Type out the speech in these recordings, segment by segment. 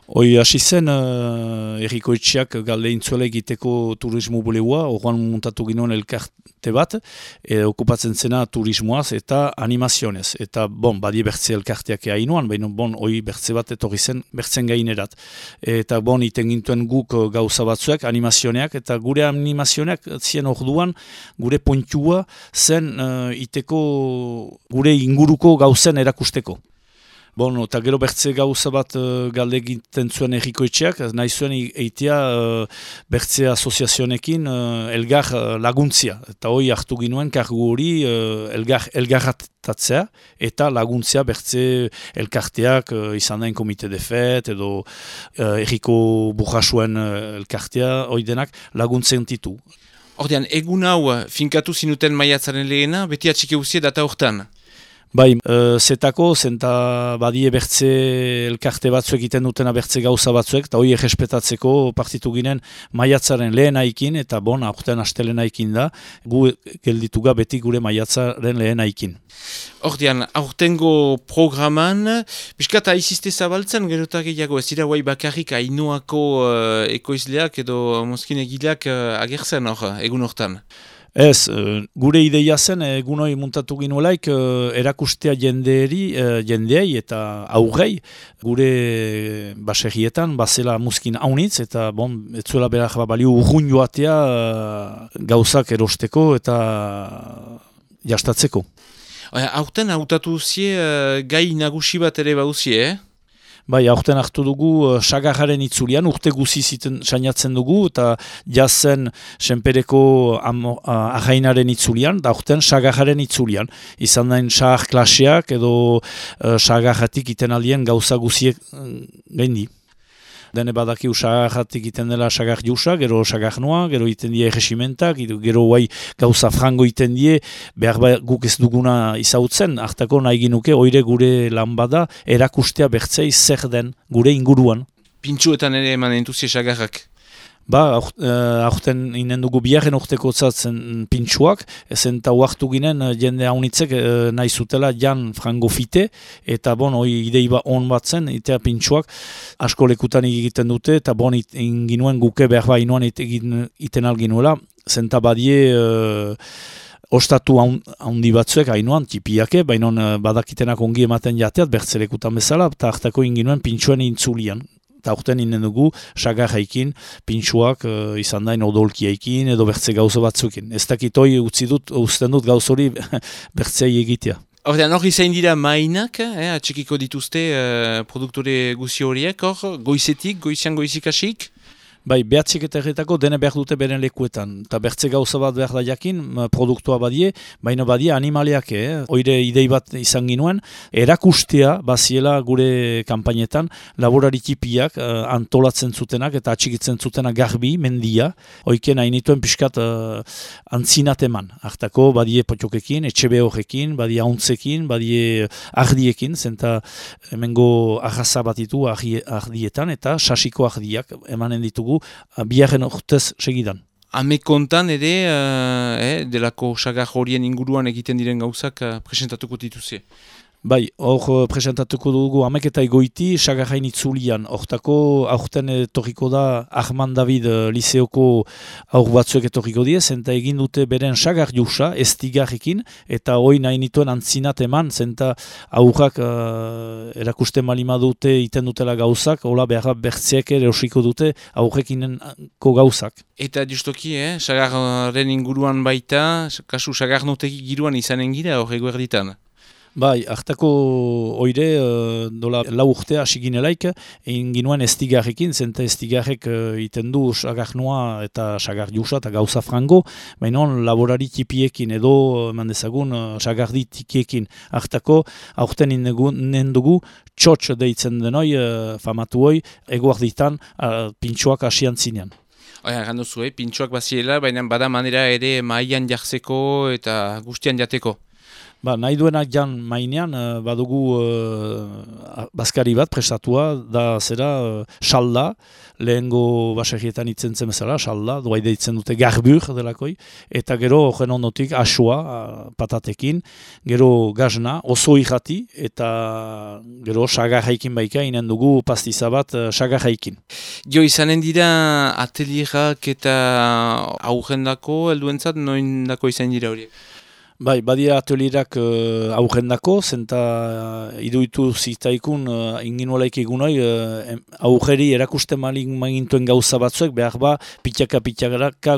Hoi hasi zen, Herriko Etxeak galde intzuela egiteko turismo bulegoa, horrean montatu ginoen elkarte bat, okupatzen zena turismoaz eta animazionez. Eta, badie bertze elkarteak hainoan, baina, hoi bertze bat etorri zen bertzen gainerat. Eta, iten gintuen guk gauza batzuek, animazioneak, eta gure animazioneak zien orduan, gure pontua zen iteko gure inguruko gauzen erakusteko. Eta gero bertze gauza bat galde egiten zuen Herriko Etxeak, nahi zuen eitea bertze asoziazionekin elgar laguntzia. Eta hoi hartu ginuen kargu hori elgarratatzea eta laguntzea bertze elkarteak izan dain komite de fet edo Herriko burrasuen elkartea hoi denak laguntzen ditu. Ordean, egun hau finkatu zinuten maiatzaren lehena, beti atxike uzie data hortan? Zetako, zenta badie bertze elkarte batzuek egiten dutena bertze gauza batzuek, eta hori errespetatzeko partitu ginen maiatzaren lehenaikin, eta aurten astelenaekin da, gu geldituga beti gure maiatzaren lehenaikin. Ordean, aurtengo programan, biskat aizizte zabaltzen, gerotak gehiago, ez dira guai bakarrik Ainoako ekoizleak edo mozkin egileak agertzen egun hortan? Ez, gure ideia zen, egun hori muntatu ginuelaik, erakustea jendeei eta aurrei, gure baserrietan, bazela muskin haunitz, eta etzuela berak balio urrun joatea gauzak erosteko eta jastatzeko. Aurten hautatu zie gai nagusi bat ere bauzie, Aurten hartu dugu sagarraren itzulian, urte guzi sainatzen dugu, eta jazen senpereko ahainaren itzulian, da aurten sagarraren itzulian. Izan dain sagar klaseak edo sagarratik iten aldien gauza guziek gendi. Dene badakiu sagarratik iten dela sagar jusa, gero sagar noa, gero iten die erresimentak, gero gauza frango iten die, behar guk ez duguna izautzen, hartako nahi ginuke, oire gure lan bada, erakustea bertzei zer den gure inguruan. Pintxuetan ere eman entuzie sagarrak? Aurten inen dugu biharren urteko zatzen pintxuak, ezen eta huartu ginen jende haunitzek nahi zutela jan frango fite, eta hoi idei on bat zen, itea pintxuak asko lekutan egiten dute, eta inginuen guke behar inoan iten alginuela, zenta badie ostatu handi batzuek hainoan, tipiake, baina badakitenak ongi ematen jateat, bertzelekutan bezala, eta hartako inginuen pintxuen intzulian. Eta aurten inen dugu, sagarraikin, pintxuak izan dain odolkiaikin edo bertze gauza batzukin. Ez dakitoi uzten dut gauz hori bertzei egitea. Ordean, hori zain dira mainak, atxekiko dituzte produktore guzi horiek, goizian goizikasik? Behatzik eta erretako dene behar dute beren lekuetan. Eta bertze gauza bat behar da jakin, produktua badie, baina badie animaliak, oire idei bat izan ginuen, erakustea baziela gure kanpainetan, laborari tipiak antolatzen zutenak eta atxikitzen zutenak garbi, mendia, oiken hainituen pixkat antzinat eman. Hartako badie potiokekin, etxebe horrekin, badie hauntzekin, badie ardiekin, zenta hemengo arraza batitu ardietan eta sasiko ardiak emanen ditugu biharren urtez segidan. Amekontan ere, delako sagar horien inguruan egiten diren gauzak presentatuko dituzie? Hor presentatuko dugu ameketa egoiti sagarrain itzulian. Hortako aurten etorriko da Arman David liseoko aur batzuek etorriko diez, zenta egin dute beren sagar jusa, estigarrekin, eta hoi nahi nituen antzinat eman, zenta aurrak erakusten malima dute iten dutela gauzak, hola behar bertzeak ere osiko dute aurrekinenko gauzak. Eta justoki, sagarren inguruan baita, kasu sagarnoteki giruan izanen gira horrego erditan? Hartako oire, dola lau urtea hasi ginelaik, egin ginuen estigarrekin, zenta estigarrek iten du sagar noa eta sagar jusa eta gauza frango, baina laborari tipiekin edo, eman dezagun, sagardi tikiekin. Hartako, aurten inen dugu, txotx deitzen denoi, famatu hoi, eguarditan pintxoak hasian zinean. Gandu zu, pintxoak baziela, baina bada manera ere maian jartzeko eta guztian jateko. Nahi duenak jan mainean, badugu bazkari bat prestatua, da zera salda, lehengo baserrietan itzentzen bezala, salda, doa deitzen dute garbur delakoi, eta gero horren ondotik asua patatekin, gero gazna, oso irrati, eta gero sagarraikin baika, inen dugu pastiza bat sagarraikin. Jo, izanen dira atelierak eta aurrendako, helduentzat, noindako izan dira horiek? Bai, badia atelierak aurrendako, zenta iduitu zitaikun inginuelaik egunoi aurreri erakusten magintuen gauza batzuek, behar pitaka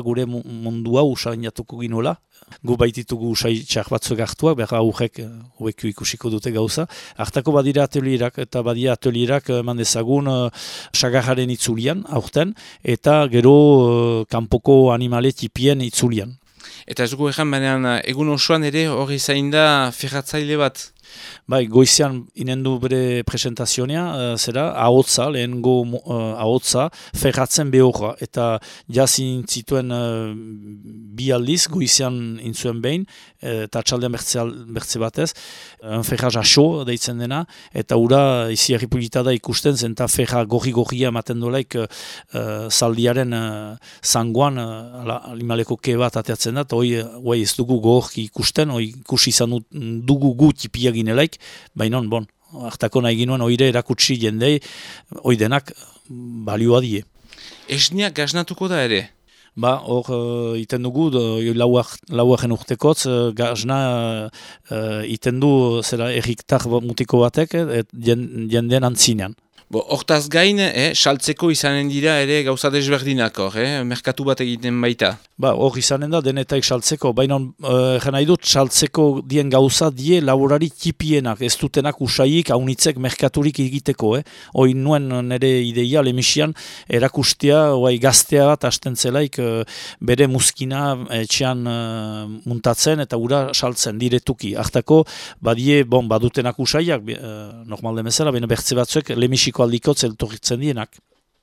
gure mundu hau usainatuko ginoela. Gu baititugu usai txar batzuek hartuak, behar aurrek hobeku ikusiko dute gauza. Hartako badira atelierak, eta badia atelierak mandezagun sagarraren itzulian, aurten, eta gero kanpoko animale tipien itzulian. Eta ez dugu baina egun osoan ere hori zain da ferratzaile bat? Bai, goizean inendu bere presentazionea, zera, ahotza, lehengo ahotza, ferratzen behorra. Eta jazin zituen bi aldiz, goizean intzuen behin, eta txaldean bertze batez, ferraz aso deitzen dena, eta ura izi erripulitada ikusten zen, eta ferra gorri-gorria ematen dolaik zaldiaren zangoan animaleko ke bat ateatzen da, eta hoi ez dugu gorki ikusten, hoi ikusi izan dugu gu tipia ginelaik, baina bon, hartako nahi ginoen oire erakutsi jendei, oidenak balioa die. Esniak gaznatuko da ere? Hor iten dugu, lauaren urtekotz, gazna iten du zera erriktar mutiko batek, jendeen antzinean. Hortaz gain, saltzeko izanen dira ere gauza desberdinak hor, merkatu bat egiten baita. Hor izanen da denetaik saltzeko, baina nahi dut saltzeko dien gauza die laborari tipienak, ez dutenak usaik haunitzek merkaturik egiteko. Hoi nuen nire ideia lemisian erakustea, gaztea bat hasten zelaik bere muskina etxean muntatzen eta ura saltzen diretuki. Hartako badie badutenak usaiak, normal demezela, baina bertze batzuek lemisiko aldikotz eltorritzen dienak.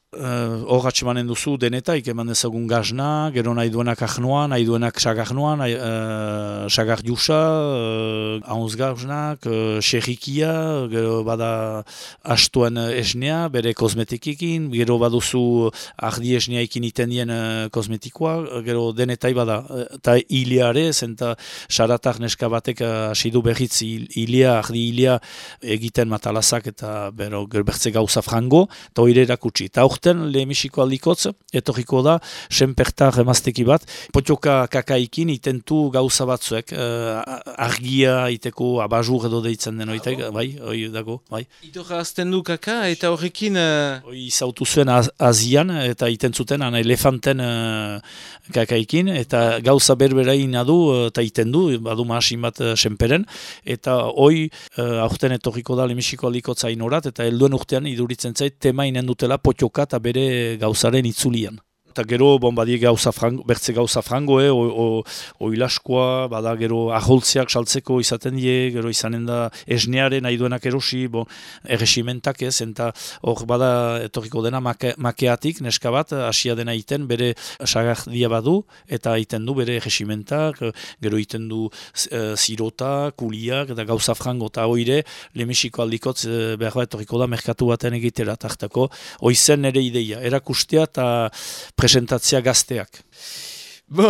Hor atxemanen duzu denetaik, eman ezagun gazna, gero nahi duenak ahnoa, nahi duenak sagarnoa, sagar jusa, haunz gaznak, xerrikia, gero bada astuen esnea, bere kosmetikekin, gero baduzu ardi esneaikin iten dien kosmetikoa, gero denetai bada, eta hileare, zenta saratak neska batek asidu behitz ardi hilea egiten matalazak eta gero bertze gauza frango, eta hori erakutsi. Aurten lehemisiko aldikotz, etorriko da, senpertar emazteki bat, potioka kakaikin itentu gauza batzuek, argia iteko abajur edo deitzen den oitek, bai, hoi dago, bai. Itorra azten du kaka eta horrekin... Hoi izautu zuen Azian eta itentzuten elefanten kakaikin, eta gauza berberain adu eta itendu, badu masin bat senperen, eta hoi aurten etorriko da lehemisiko aldikotza inorat, eta helduen urtean iduritzen zait tema inen dutela potioka eta bere gauzaren itzulian. Eta gero, badie bertze gauza frango, oilaskoa, bada gero aholtzeak saltzeko izaten die, gero izanen da esnearen nahi duenak erosi, erresimentak ez, eta hor bada etorriko dena makeatik, neska bat, asia dena iten, bere sagardia badu, eta iten du bere erresimentak, gero iten du zirota, kuliak, eta gauza frango, eta hoire, lemesiko aldikotz behar bat etorriko da merkatu baten egitera, tartako, hoizen ere ideia, erakustea eta presentatzea gazteak.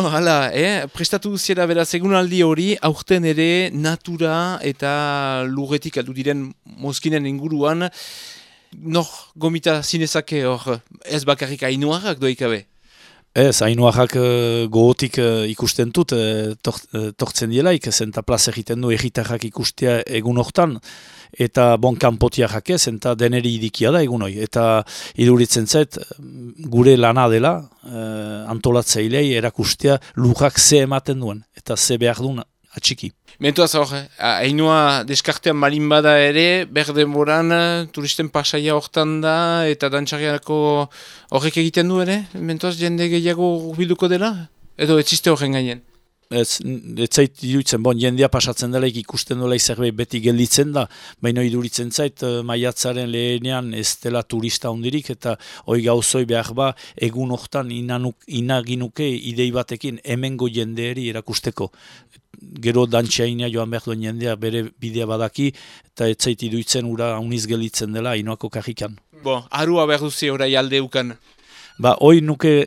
Hala, prestatu duziera beraz egunaldi hori, aurten ere natura eta lurretik aldu diren mozkinen inguruan, nor gomita zinezake hor, ez bakarrik ainuarrak doikabe? Ez, ainuarrak gogotik ikusten dut, tortzen dielaik, zenta plaza egiten du egitarrak ikustea egun hortan, eta kanpotiarrak ez, eta deneri idikia da egun hori. Eta iduritzen zait, gure lana dela, antolatzailei erakustea lurrak ze ematen duen, eta ze behar duen atxiki. Mentuaz hor, hainua deskartean balin bada ere, berdenboran turisten pasaia hortan da, eta dantxarriako horrek egiten du ere? Mentuaz jende gehiago bilduko dela? Edo etziste horren gainen? Ez zait iruditzen, jendea pasatzen dela ikusten dela zerbait beti gelditzen da, baina iduritzen zait maiatzaren lehenean ez dela turista hondirik, eta hoi gauzoi behar ba, egun hortan inaginuke idei batekin hemengo jendeeri erakusteko. Gero dantxaina joan behar duen jendea bere bidea badaki, eta ez zait iruditzen ura hauniz gelditzen dela inoako kajikan. Arua behar duzi orai alde ukan. Hoi nuke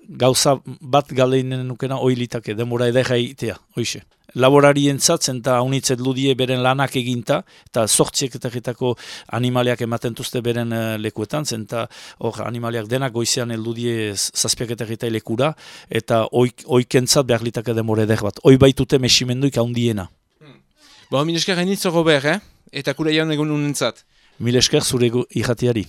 gauza bat galeinen nukena hoi litake, demora edera itea, hoixe. Laborarientzat eta haunitzet ludie beren lanak eginta, eta sortzieketako animaliak ematen duzte beren lekuetan, eta hor animaliak denak goizean eldudie zazpiaketak lekura, eta oikentzat behar litake demora eder bat. Hoi baitute mesimenduik handiena. Milesker hainitzo Robert, eta kure jaun egun unentzat. Milesker zure irratiari.